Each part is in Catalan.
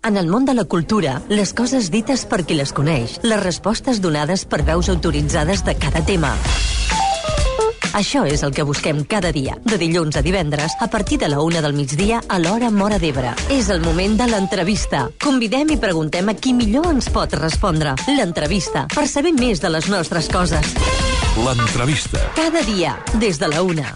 En el món de la cultura, les coses dites per qui les coneix, les respostes donades per veus autoritzades de cada tema. Això és el que busquem cada dia, de dilluns a divendres, a partir de la 1 del migdia a l'hora Móra d'Ebre. És el moment de l'entrevista. Convidem i preguntem a qui millor ens pot respondre. L'entrevista, per saber més de les nostres coses. L'entrevista. Cada dia, des de la 1.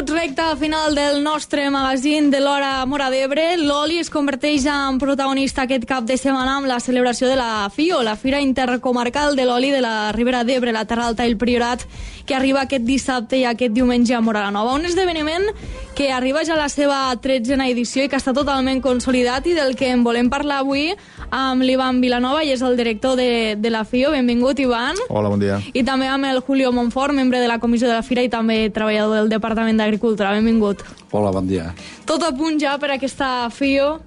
Recta final del nostre magazín de l'hora Móra d'Ebre. L'oli es converteix en protagonista aquest cap de setmana amb la celebració de la FIO, la Fira Intercomarcal de l'Oli de la Ribera d'Ebre, la Terra Alta i el Priorat, que arriba aquest dissabte i aquest diumenge a Móra la Nova. Un esdeveniment que arriba ja a la seva 13a edició i que està totalment consolidat i del que en volem parlar avui amb l'Ivan Vilanova, i és el director de la FIO. Benvingut, Ivan. Hola, bon dia. I també amb el Julio Monfort, membre de la comissió de la Fira i també treballador del Departament d'Agricultura. Benvingut. Hola, bon dia. Tot a punt ja per aquesta FIO?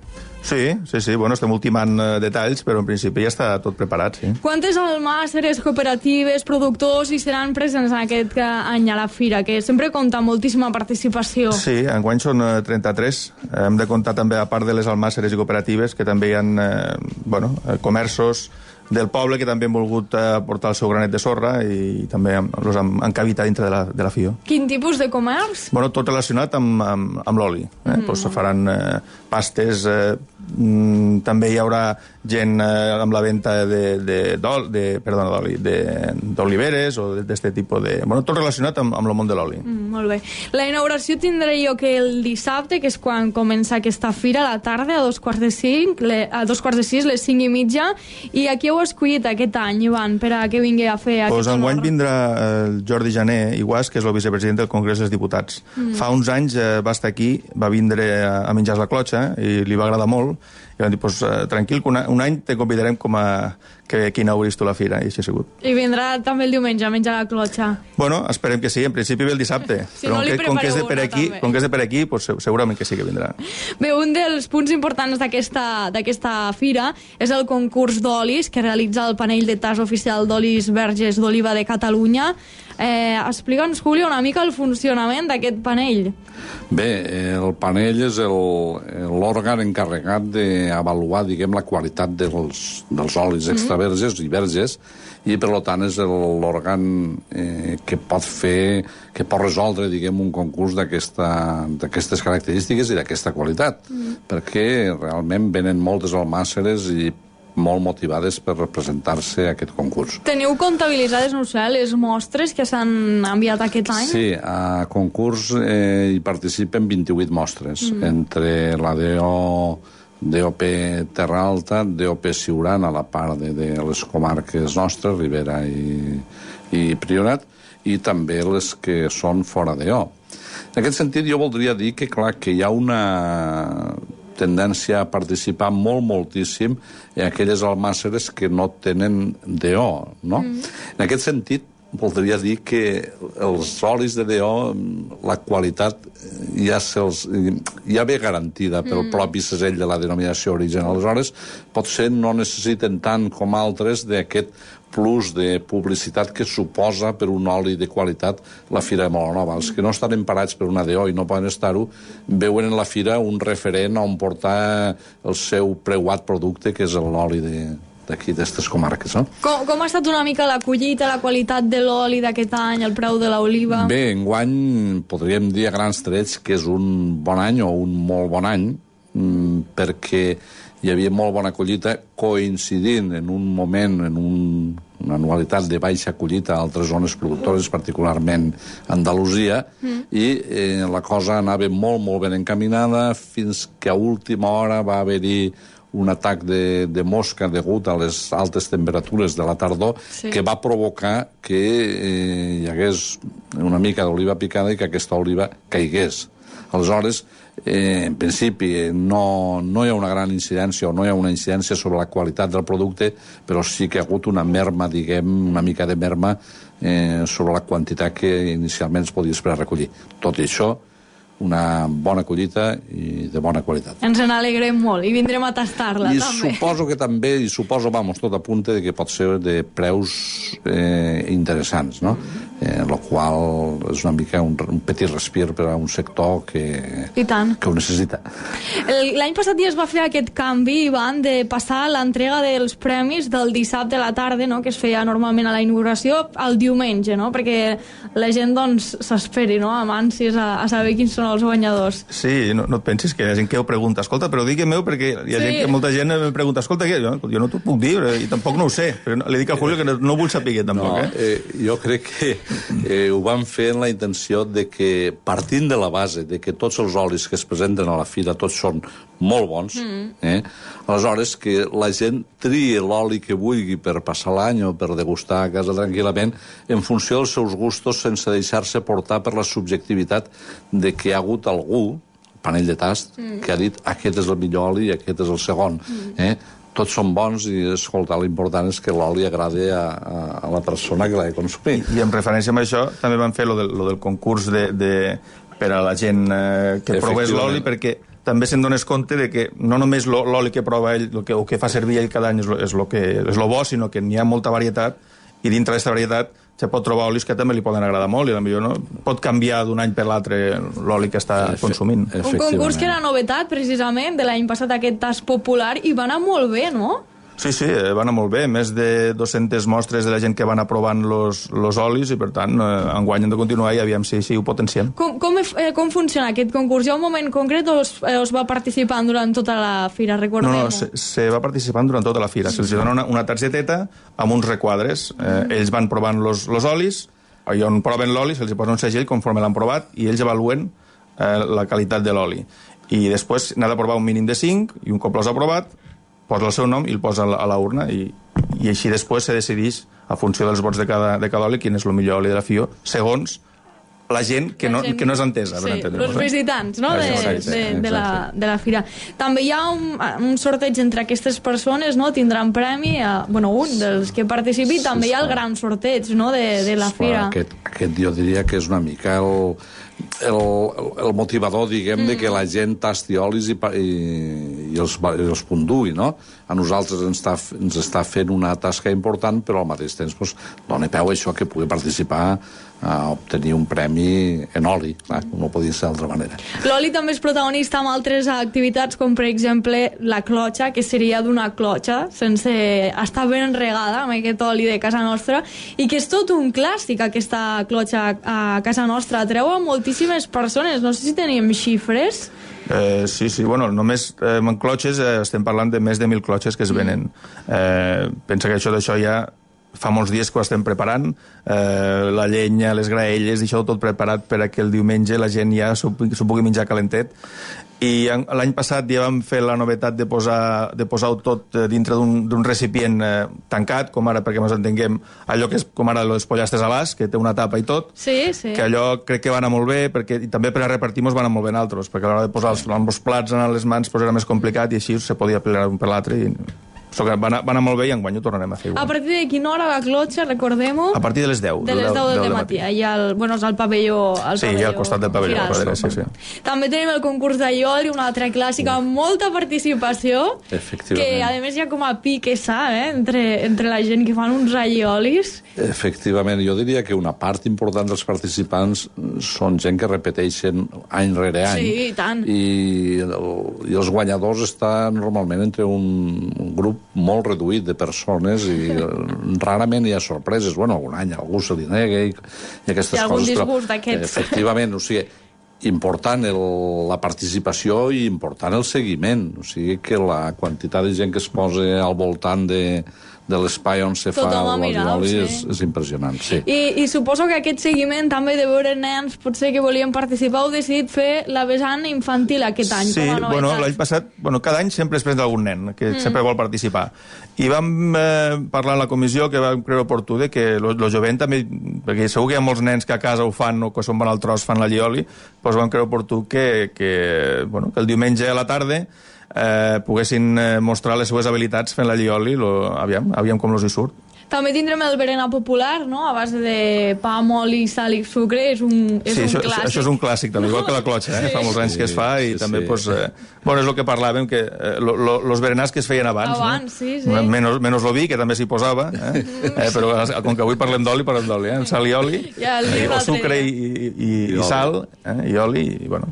Sí. Bueno, estem ultimant detalls, però en principi ja està tot preparat, sí. Quantes almàsseres, cooperatives, productors hi seran presents en aquest any a la Fira, que sempre compta moltíssima participació? Sí, enguany són 33. Hem de comptar també, a part de les almàsseres i cooperatives, que també hi ha comerços del poble que també han volgut portar el seu granet de sorra i també els han encabitat dintre de la FIO. Quin tipus de comerç? Bueno, tot relacionat amb l'oli. Pues faran pastes, també hi haurà gent amb la venda d'oliveres o d'aquest tipus de... Bueno, tot relacionat amb el món de l'oli. Molt bé. La inauguració tindrà lloc el dissabte, que és quan comença aquesta fira, a la tarda, a 2:45, les 5:30, i aquí heu escollit aquest any, Ivan, per a que vingui a fer aquest honor? Enguany vindrà el Jordi Jané Iguàs, que és el vicepresident del Congrés dels Diputats. Fa uns anys va estar aquí, va vindre a menjar la clotxa i li va agradar molt, i van dir, tranquil, que un any te convidarem com a que inauguris tu la fira, i així ha sigut. I vindrà també el diumenge a menjar la clotxa? Bueno, esperem que sí, en principi ve el dissabte, però com que és de per aquí, segurament que sí que vindrà. Bé, un dels punts importants d'aquesta fira és el concurs d'olis que realitza el panell de tas oficial d'olis verges d'oliva de Catalunya. Explica'ns, Julio, una mica el funcionament d'aquest panell. Bé, el panell és l'òrgan encarregat d'avaluar, la qualitat dels olis extraverges i verges, i per tant és l'òrgan que pot resoldre, un concurs d'aquestes característiques i d'aquesta qualitat, perquè realment venen moltes almàsseres i molt motivades per representar-se a aquest concurs. Teniu comptabilitzades, no sé, les mostres que s'han enviat aquest any? Sí, a concurs hi participen 28 mostres, entre la DOP Terra Alta, DOP Siurana, a la part de les comarques nostres, Ribera i Priorat, i també les que són fora d'EO. En aquest sentit, jo voldria dir que, clar, que hi ha una tendència a participar moltíssim en aquelles almàsseres que no tenen DO, no? En aquest sentit, voldria dir que els olis de DO, la qualitat ja ve garantida pel propi segell de la denominació d'origen. Aleshores, potser no necessiten tant com altres d'aquest plus de publicitat que suposa per un oli de qualitat la Fira de Móra la Nova. Els que no estan emparats per una DO i no poden estar-ho, veuen en la Fira un referent on portar el seu preuat producte, que és l'oli d'aquí, d'aquestes comarques. No? Com ha estat una mica la collita, la qualitat de l'oli d'aquest any, el preu de l'oliva? Bé, enguany podríem dir a grans trets que és un bon any o un molt bon any, perquè hi havia molt bona collita coincidint en un moment, en una anualitat de baixa collita a altres zones productores, particularment Andalusia, i la cosa anava molt ben encaminada fins que a última hora va haver-hi un atac de mosca degut a les altes temperatures de la tardor, que va provocar que hi hagués una mica d'oliva picada i que aquesta oliva caigués. Aleshores, en principi no hi ha una gran incidència o no hi ha una incidència sobre la qualitat del producte, però sí que ha hagut una merma, una mica de merma sobre la quantitat que inicialment es podia esperar recollir. Tot i això, una bona collita i de bona qualitat. Ens n'alegrem molt i vindrem a tastar-la, I també. suposo que també, vamos, tot apunta de que pot ser de preus interessants, no? Lo qual és una mica un petit respir per a un sector que ho necessita. L'any passat ja es va fer aquest canvi, Ivan, de passar l'entrega dels premis del dissabte a la tarda, no?, que es feia normalment a la inauguració, al diumenge, no?, perquè la gent, doncs, s'esperi, no?, amb ànsies a saber quins són els guanyadors. Sí, no et pensis que hi ha gent que ho pregunta. Escolta, però digueu-me, perquè hi ha gent que molta gent em pregunta, escolta, jo no t'ho puc dir, i tampoc no ho sé. Però li dic a Julio que no vull saber tampoc. Jo crec que ho van fer en la intenció de que, partint de la base de que tots els olis que es presenten a la fira tots són molt bons, aleshores que la gent trie l'oli que vulgui per passar l'any o per degustar a casa tranquil·lament en funció dels seus gustos, sense deixar-se portar per la subjectivitat de que hi ha hagut algú, panell de tast, que ha dit aquest és el millor oli i aquest és el segon. Tots són bons i, escolta, l'important és que l'oli agradi a la persona que l'ha de consumir. I en referència a això també van fer lo del concurs per a la gent que provés l'oli, perquè també se'n dones compte de que no només l'oli que prova ell o que fa servir ell cada any és lo bo, sinó que n'hi ha molta varietat, i dintre d'aquesta varietat se pot trobar olis que també li poden agradar molt, i potser no pot canviar d'un any per l'altre l'oli que està consumint. Un concurs que era novetat, precisament, de l'any passat, aquest tast popular, i va anar molt bé, no? Sí, va anar molt bé. Més de 200 mostres de la gent que van aprovant los olis, i per tant, enguany hem de continuar i aviam si ho potenciem. Com funciona aquest concurs? Hi ha un moment concret o es va participant durant tota la fira, recordem-ho? No, se va participant durant tota la fira. Se'ls dona una targeteta amb uns requadres. Ells van provant los olis, i on proven l'oli se'ls posa un segell conforme l'han provat, i ells avaluen la qualitat de l'oli. I després n'ha de provar un mínim de 5, i un cop l'has aprovat, posa el seu nom i el posa a la urna, i així després se decideix, a funció dels vots de cada oli, quin és el millor oli de la FIO, segons la gent que no és entesa. Sí, els visitants, no?, de la fira. També hi ha un sorteig entre aquestes persones, no?, tindran premi, un dels que participi, també hi ha el gran sorteig, no?, de la fira. Aquest jo diria que és una mica el motivador, diguem, de que la gent tasti olis i els puntuï, no? A nosaltres ens està fent una tasca important, però al mateix temps dona peu a això que pugui participar a obtenir un premi en oli, clar, no podia ser d'altra manera. L'oli també és protagonista amb altres activitats, com per exemple la clotxa, que seria d'una clotxa sense estar ben regada amb aquest oli de casa nostra, i que és tot un clàssic, aquesta clotxa a casa nostra. Atreu a moltíssimes persones. No sé si tenim xifres. Sí, només en clotxes estem parlant de més de 1.000 clotxes que es venen. Pensa que d'això ja fa molts dies que ho estem preparant, la llenya, les graelles, i això tot preparat per a que el diumenge la gent ja s'ho pugui menjar calentet. I l'any passat ja vam fer la novetat de posar-ho tot dintre d'un recipient tancat, com ara, perquè ens entenguem, allò que és com ara els pollastres a l'as, que té una tapa i tot, que allò crec que va anar molt bé, i també per a repartir-nos va anar molt bé en altres, perquè a l'hora de posar els plats en les mans era més complicat, i així se podia plegar un per l'altre, i va anar molt bé, i enguany ho tornarem a fer. A partir de quina hora la clotxa, recordem-ho? A partir de les 10. De les 10 del matí. Allà és al pavelló. Sí, al costat del pavelló. També tenim el concurs d'allioli, una altra clàssica amb molta participació, que a més hi ha com a piquesa entre la gent que fan uns alliolis. Efectivament, jo diria que una part important dels participants són gent que repeteixen any rere any. Sí, i tant. I els guanyadors estan normalment entre un grup molt reduït de persones, i rarament hi ha sorpreses. Algun any algú se li nega i aquestes coses. Hi ha algun disgust d'aquests. Efectivament, important la participació i important el seguiment. O sigui que la quantitat de gent que es posa al voltant de l'espai on se fa l'oli és impressionant, sí. I suposo que aquest seguiment també de veure nens potser que volien participar, heu decidit fer la vessant infantil aquest any, com a novetat. L'any passat, cada any sempre es presenta algun nen que sempre vol participar. I vam parlar a la comissió que vam creure oportú que el jovent també, perquè segur que hi ha molts nens que a casa ho fan o que són van al tros fan l'allioli, doncs vam creure oportú que el diumenge a la tarda poguessin mostrar les seues habilitats fent l'allioli, aviam com els hi surt. També tindrem el berenar popular, no?, a base de pa, oli, sal i sucre, és un clàssic. Això és un clàssic, també, igual que la clotxa, fa molts anys que es fa, i també, doncs, bueno, és el que parlàvem, que los berenars que es feien abans, no? Menos lo vi, que també s'hi posava, però com que avui parlem d'oli, sal i oli, o sucre i sal, i oli, i bueno,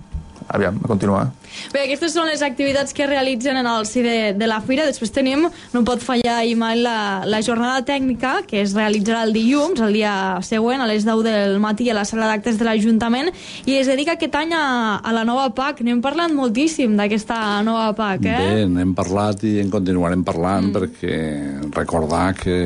aviam, a continuar. Bé, aquestes són les activitats que realitzen en el si de la fira. Després tenim, no pot fallar mai, la jornada tècnica, que es realitzarà el dilluns, el dia següent, a les 10 del matí, a la sala d'actes de l'Ajuntament, i es dedica aquest any a la nova PAC. N'hem parlat moltíssim d'aquesta nova PAC, Bé, n'hem parlat i en continuarem parlant, perquè recordar que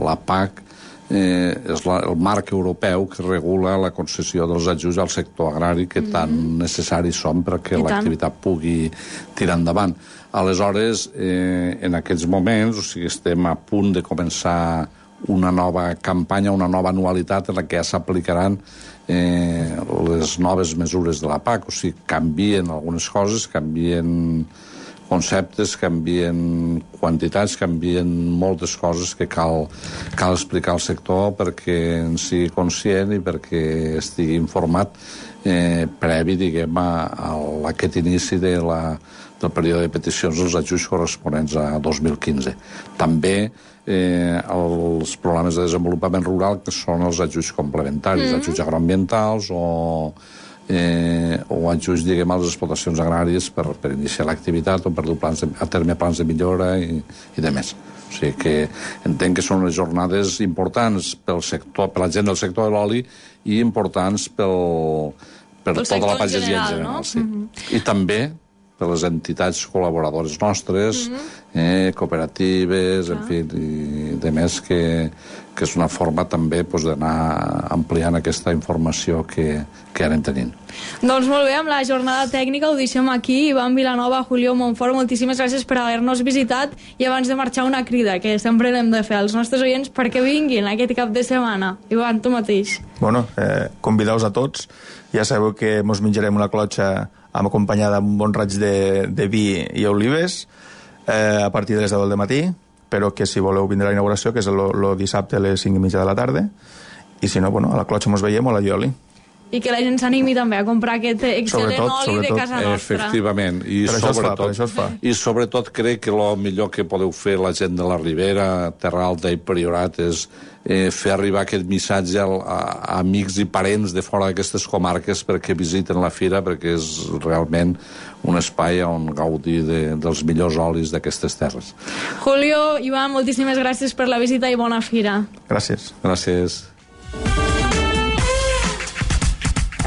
la PAC és el marc europeu que regula la concessió dels ajuts al sector agrari que tan necessaris són perquè l'activitat pugui tirar endavant. Aleshores, en aquests moments, estem a punt de començar una nova campanya, una nova anualitat en la que ja s'aplicaran les noves mesures de la PAC. O sigui, canvien algunes coses, canvien conceptes, canvien quantitats, canvien moltes coses que cal explicar al sector perquè en sigui conscient i perquè estigui informat previ, diguem, a aquest inici del període de peticions dels ajuts corresponents a 2015. També els programes de desenvolupament rural, que són els ajuts complementaris, ajuts agroambientals o ajuts, diguem, a les explotacions agràries per iniciar l'activitat o per dur a terme plans de millora i de més. O sigui que entenc que són unes jornades importants pel sector, per la gent del sector de l'oli i importants per tota la pagesia en general. Sí. I també per les entitats col·laboradores nostres, cooperatives, en fi, i de més, que és una forma també d'anar ampliant aquesta informació que anem tenint. Doncs molt bé, amb la jornada tècnica ho deixem aquí. Ivan Vilanova, Julio Montfort, moltíssimes gràcies per haver-nos visitat, i abans de marxar una crida, que sempre l'hem de fer als nostres oients perquè vinguin aquest cap de setmana. Ivan, tu mateix. Bueno, convideu-vos a tots. Ja sabeu que mos menjarem una clotxa acompanyada amb un bon raig de vi i olives a partir de les 10 del matí, però que si voleu vindre a la inauguració, que és el dissabte a les 5:30 de la tarda, i si no, bueno, a la clotxa mos veiem o a la Ioli. I que la gent s'animi també a comprar aquest excel·lent oli de casa nostra. Efectivament. Per això es fa. I sobretot crec que el millor que podeu fer la gent de la Ribera, Terra Alta i Priorat és fer arribar aquest missatge a amics i parents de fora d'aquestes comarques perquè visiten la fira, perquè és realment un espai on gaudir dels millors olis d'aquestes terres. Julio, Ivan, moltíssimes gràcies per la visita i bona fira. Gràcies. Gràcies.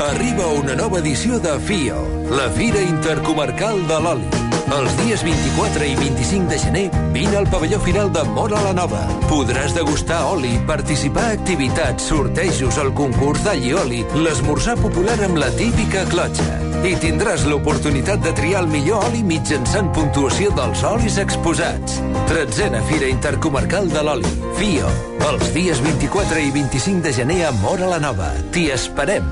Arriba una nova edició de FIO, la Fira Intercomarcal de l'Oli. Els dies 24 i 25 de gener vine al pavelló final de Móra la Nova. Podràs degustar oli, participar a activitats, sortejos, el concurs d'all i oli, l'esmorzar popular amb la típica clotxa. I tindràs l'oportunitat de triar el millor oli mitjançant puntuació dels olis exposats. 13a Fira Intercomarcal de l'Oli, FIO, els dies 24 i 25 de gener a Móra la Nova. T'hi esperem!